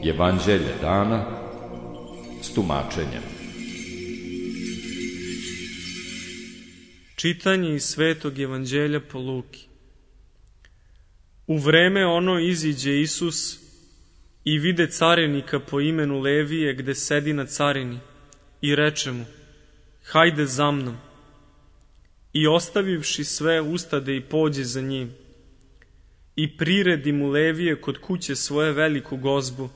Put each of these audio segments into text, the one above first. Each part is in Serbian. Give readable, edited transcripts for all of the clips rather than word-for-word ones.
Evanđelje dana s tumačenjem. Čitanje iz Svetog Evanđelja po Luki. U vreme ono iziđe Isus i vide carinika po imenu Levije gde sedi na carini i reče mu: hajde za mnom. I ostavivši sve ustade i pođe za njim. I priredi mu Levije kod kuće svoje veliku gozbu,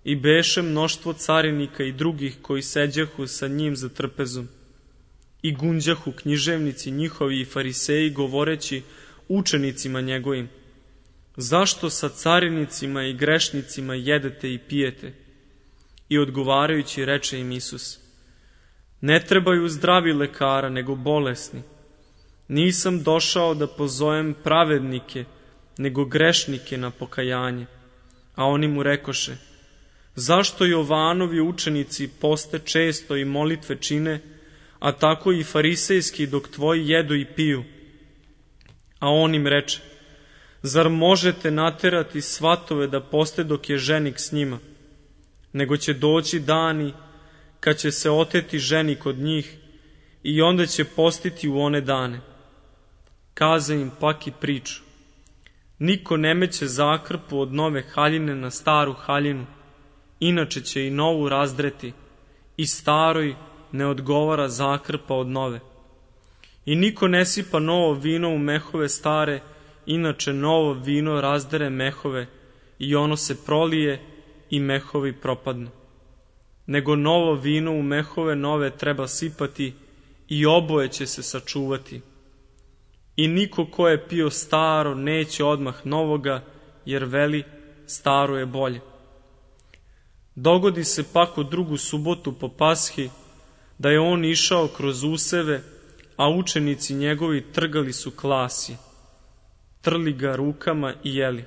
i beše mnoštvo carinika i drugih koji seđahu sa njim za trpezom. I gunđahu književnici njihovi i fariseji, govoreći učenicima njegovim: zašto sa carinicima i grešnicima jedete i pijete? I odgovarajući reče im Isus: ne trebaju zdravi lekara, nego bolesni. Nisam došao da pozovem pravednike, nego grešnike na pokajanje. A oni mu rekoše: zašto Jovanovi učenici poste često i molitve čine, a tako i farisejski dok tvoji jedu i piju? A on im reče: zar možete naterati svatove da poste dok je ženik s njima? Nego će doći dani kad će se oteti ženik od njih, i onda će postiti u one dane. Kaze im pak i priču: niko ne meće zakrpu od nove haljine na staru haljinu, inače će i novu razdreti, i staroj ne odgovara zakrpa od nove. I niko ne sipa novo vino u mehove stare, inače novo vino razdere mehove, i ono se prolije i mehovi propadnu. Nego novo vino u mehove nove treba sipati, i oboje će se sačuvati. I niko ko je pio staro neće odmah novoga, jer veli staro je bolje. Dogodi se pak u drugu subotu po Pashi, da je on išao kroz useve, a učenici njegovi trgali su klasje, trli ga rukama i jeli.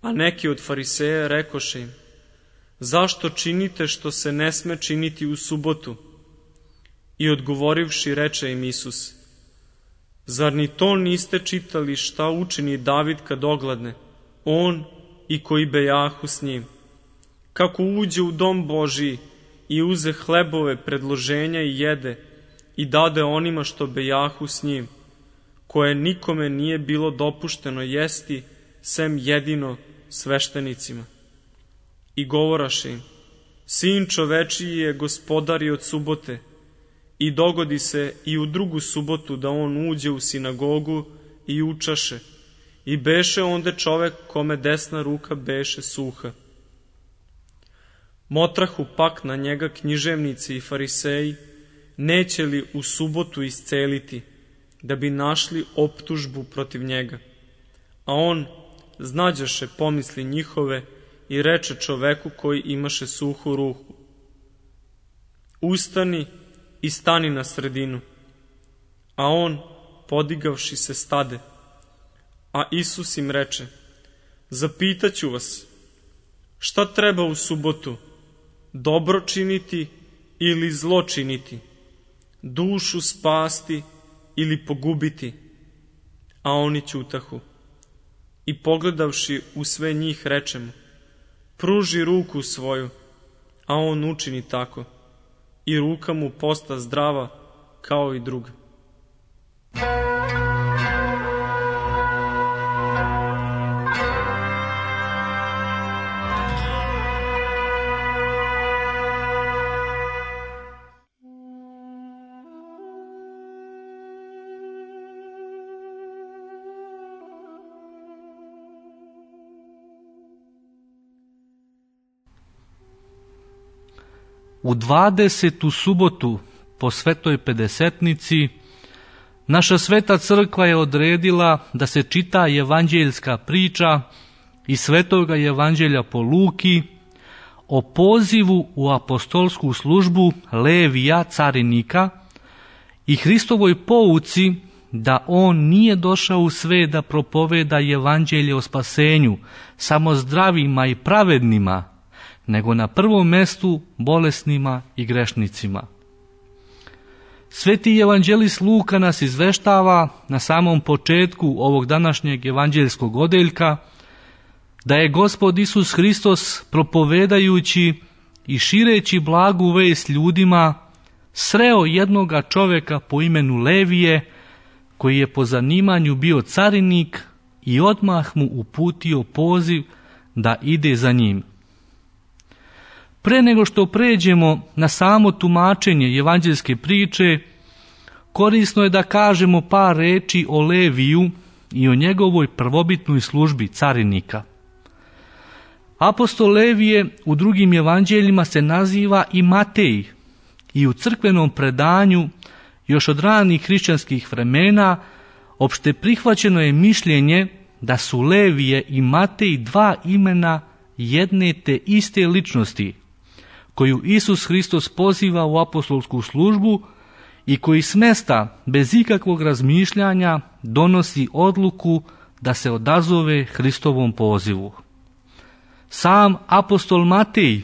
A neki od fariseja rekoše im: zašto činite što se ne sme činiti u subotu? I odgovorivši reče im Isus: zar ni to niste čitali šta učini David kad ogladne, on i koji bejahu s njim? Kako uđe u dom Božiji i uze hlebove predloženja i jede, i dade onima što bejahu s njim, koje nikome nije bilo dopušteno jesti, sem jedino sveštenicima. I govoraše im: sin čovečiji je gospodar i od subote. I dogodi se i u drugu subotu da on uđe u sinagogu i učaše. I beše onde čovek kome desna ruka beše suha. Motrahu pak na njega književnici i fariseji, neće li u subotu isceliti, da bi našli optužbu protiv njega. A on znađaše pomisli njihove i reče čoveku koji imaše suhu ruku: ustani i stani na sredinu. A on, podigavši se, stade. A Isus im reče: zapitaću vas, šta treba u subotu, dobro činiti ili zlo činiti, dušu spasti ili pogubiti? A oni ćutahu. I pogledavši u sve njih reče mu: pruži ruku svoju. A on učini tako, i ruka mu posta zdrava kao i druga. U 20. subotu po Svetoj Pedesetnici naša Sveta Crkva je odredila da se čita evanđeljska priča iz Svetoga Evanđelja po Luki o pozivu u apostolsku službu Levija carinika i Hristovoj pouci da on nije došao u svet da propoveda evanđelje o spasenju samo zdravima i pravednima, nego na prvom mestu bolesnima i grešnicima. Sveti evanđelist Luka nas izveštava na samom početku ovog današnjeg evanđeljskog odeljka da je Gospod Isus Hristos propovedajući i šireći blagu vest ljudima sreo jednoga čoveka po imenu Levije koji je po zanimanju bio carinik i odmah mu uputio poziv da ide za njim. Pre nego što pređemo na samo tumačenje evanđeljske priče, korisno je da kažemo par reči o Leviju i o njegovoj prvobitnoj službi carinika. Apostol Levije u drugim evanđeljima se naziva i Matej i u crkvenom predanju još od ranih hrišćanskih vremena opšte prihvaćeno je mišljenje da su Levije i Matej dva imena jedne te iste ličnosti koju Isus Hristos poziva u apostolsku službu i koji s mesta bez ikakvog razmišljanja donosi odluku da se odazove Hristovom pozivu. Sam apostol Matej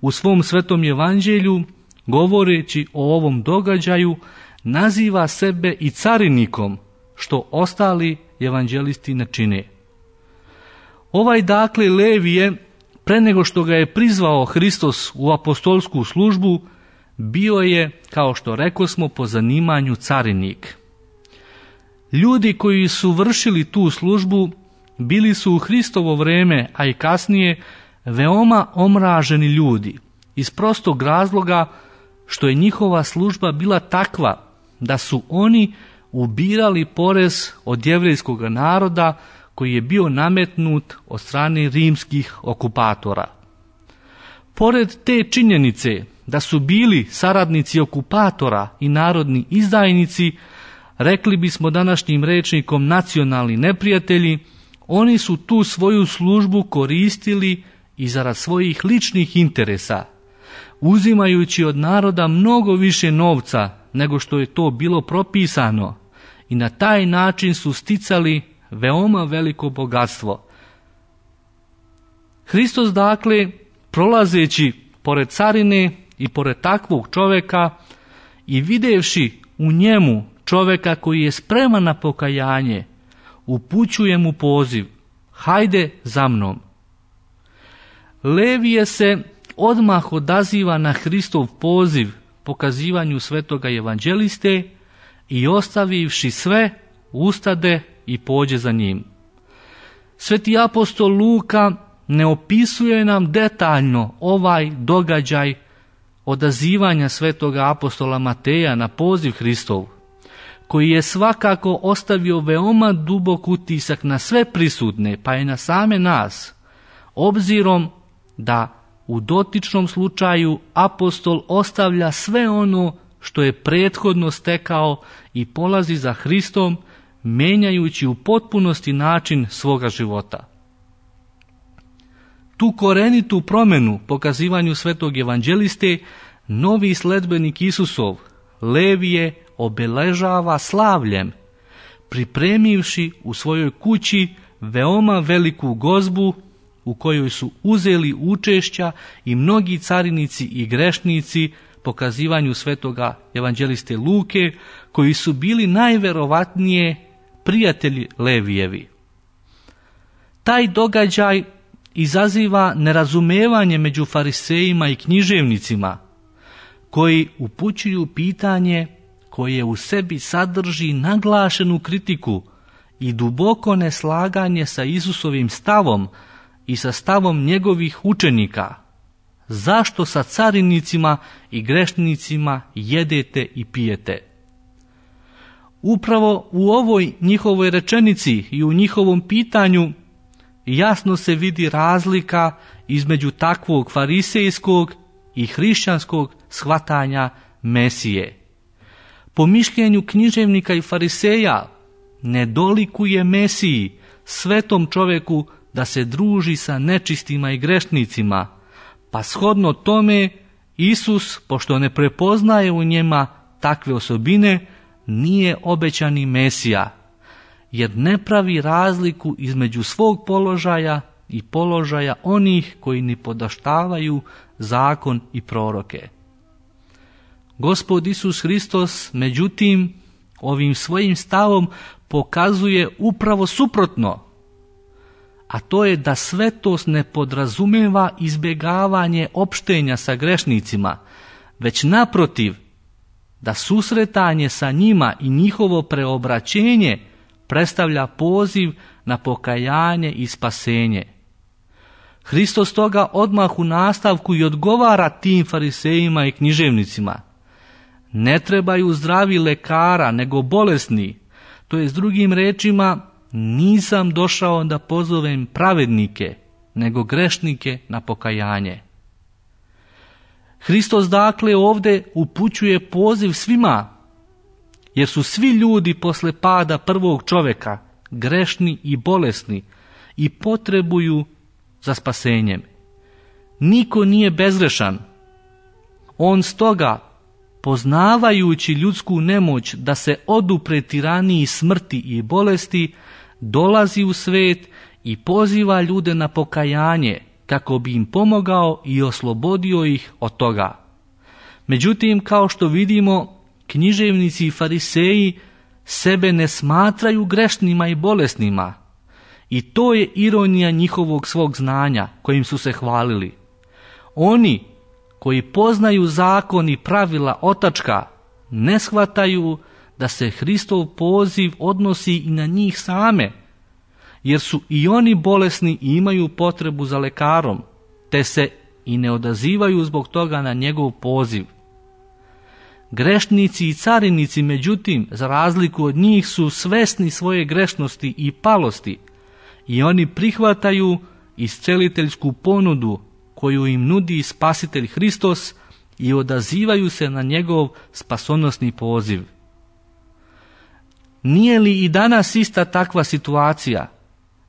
u svom svetom evanđelju, govoreći o ovom događaju, naziva sebe i carinikom, što ostali evanđelisti ne čine. Ovaj dakle Levije, pre nego što ga je prizvao Hristos u apostolsku službu, bio je, kao što rekosmo, po zanimanju carinik. Ljudi koji su vršili tu službu bili su u Hristovo vreme, a i kasnije, veoma omraženi ljudi, iz prostog razloga što je njihova služba bila takva da su oni ubirali porez od jevrejskog naroda koji je bio nametnut od strane rimskih okupatora. Pored te činjenice da su bili saradnici okupatora i narodni izdajnici, rekli bismo današnjim rečnikom nacionalni neprijatelji, oni su tu svoju službu koristili i zarad svojih ličnih interesa, uzimajući od naroda mnogo više novca nego što je to bilo propisano, i na taj način su sticali veoma veliko bogatstvo. Hristos dakle, prolazeći pored carine i pored takvog čoveka i videvši u njemu čoveka koji je spreman na pokajanje, upućuje mu poziv: hajde za mnom. Levije se odmah odaziva na Hristov poziv pokazivanju svetoga evanđeliste i ostavivši sve, ustade i pođe za njim. Sveti apostol Luka ne opisuje nam detaljno ovaj događaj odazivanja svetoga apostola Mateja na poziv Hristov, koji je svakako ostavio veoma dubok utisak na sve prisutne, pa i na same nas, obzirom da u dotičnom slučaju apostol ostavlja sve ono što je prethodno stekao i polazi za Hristom, menjajući u potpunosti način svoga života. Tu korenitu promjenu pokazivanju svetog evanđeliste novi sledbenik Isusov, Levije, obeležava slavljem, pripremivši u svojoj kući veoma veliku gozbu u kojoj su uzeli učešća i mnogi carinici i grešnici pokazivanju svetoga evanđeliste Luke, koji su bili najverovatnije prijatelji Levijevi. Taj događaj izaziva nerazumevanje među farisejima i književnicima, koji upućuju pitanje koje u sebi sadrži naglašenu kritiku i duboko neslaganje sa Isusovim stavom i sa stavom njegovih učenika. Zašto sa carinicima i grešnicima jedete i pijete? Upravo u ovoj njihovoj rečenici i u njihovom pitanju jasno se vidi razlika između takvog farisejskog i hrišćanskog shvatanja Mesije. Po mišljenju književnika i fariseja, ne dolikuje Mesiji, svetom čoveku, da se druži sa nečistima i grešnicima, pa shodno tome Isus, pošto ne prepoznaje u njima takve osobine, nije obećani Mesija, jer ne pravi razliku između svog položaja i položaja onih koji ne podaštavaju zakon i proroke. Gospod Isus Hristos, međutim, ovim svojim stavom pokazuje upravo suprotno, a to je da svetost ne podrazumeva izbjegavanje opštenja sa grešnicima, već naprotiv, da susretanje sa njima i njihovo preobraćenje predstavlja poziv na pokajanje i spasenje. Hristos toga odmah u nastavku i odgovara tim farisejima i književnicima. Ne trebaju zdravi lekara, nego bolesni. To je s drugim rečima, nisam došao da pozovem pravednike, nego grešnike na pokajanje. Hristos dakle ovdje upućuje poziv svima, jer su svi ljudi posle pada prvog čoveka grešni i bolesni i potrebuju za spasenjem. Niko nije bezgrešan. On stoga, poznavajući ljudsku nemoć da se odupre tiraniji smrti i bolesti, dolazi u svet i poziva ljude na pokajanje kako bi im pomogao i oslobodio ih od toga. Međutim, kao što vidimo, književnici i fariseji sebe ne smatraju grešnima i bolesnima. I to je ironija njihovog svog znanja kojim su se hvalili. Oni koji poznaju zakon i pravila otačka ne shvataju da se Hristov poziv odnosi i na njih same, jer su i oni bolesni i imaju potrebu za lekarom, te se i ne odazivaju zbog toga na njegov poziv. Grešnici i carinici, međutim, za razliku od njih, su svesni svoje grešnosti i palosti i oni prihvataju isceliteljsku ponudu koju im nudi Spasitelj Hristos i odazivaju se na njegov spasonosni poziv. Nije li i danas ista takva situacija?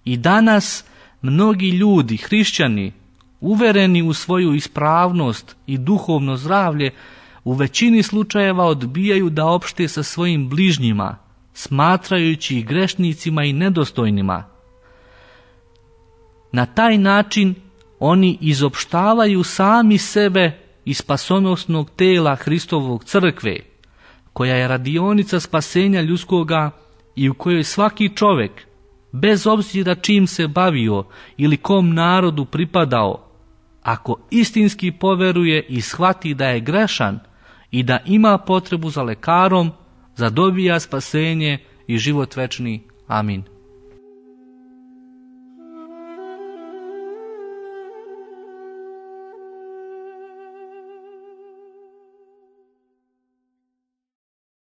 I danas mnogi ljudi, hrišćani, uvereni u svoju ispravnost i duhovno zdravlje, u većini slučajeva odbijaju da opšte sa svojim bližnjima, smatrajući ih grešnicima i nedostojnima. Na taj način oni izopštavaju sami sebe iz spasonosnog tela Hristovog crkve, koja je radionica spasenja ljudskoga i u kojoj svaki čovjek, bez obzira čim se bavio ili kom narodu pripadao, ako istinski poveruje i shvati da je grešan i da ima potrebu za lekarom, zadobija spasenje i život večni. Amin.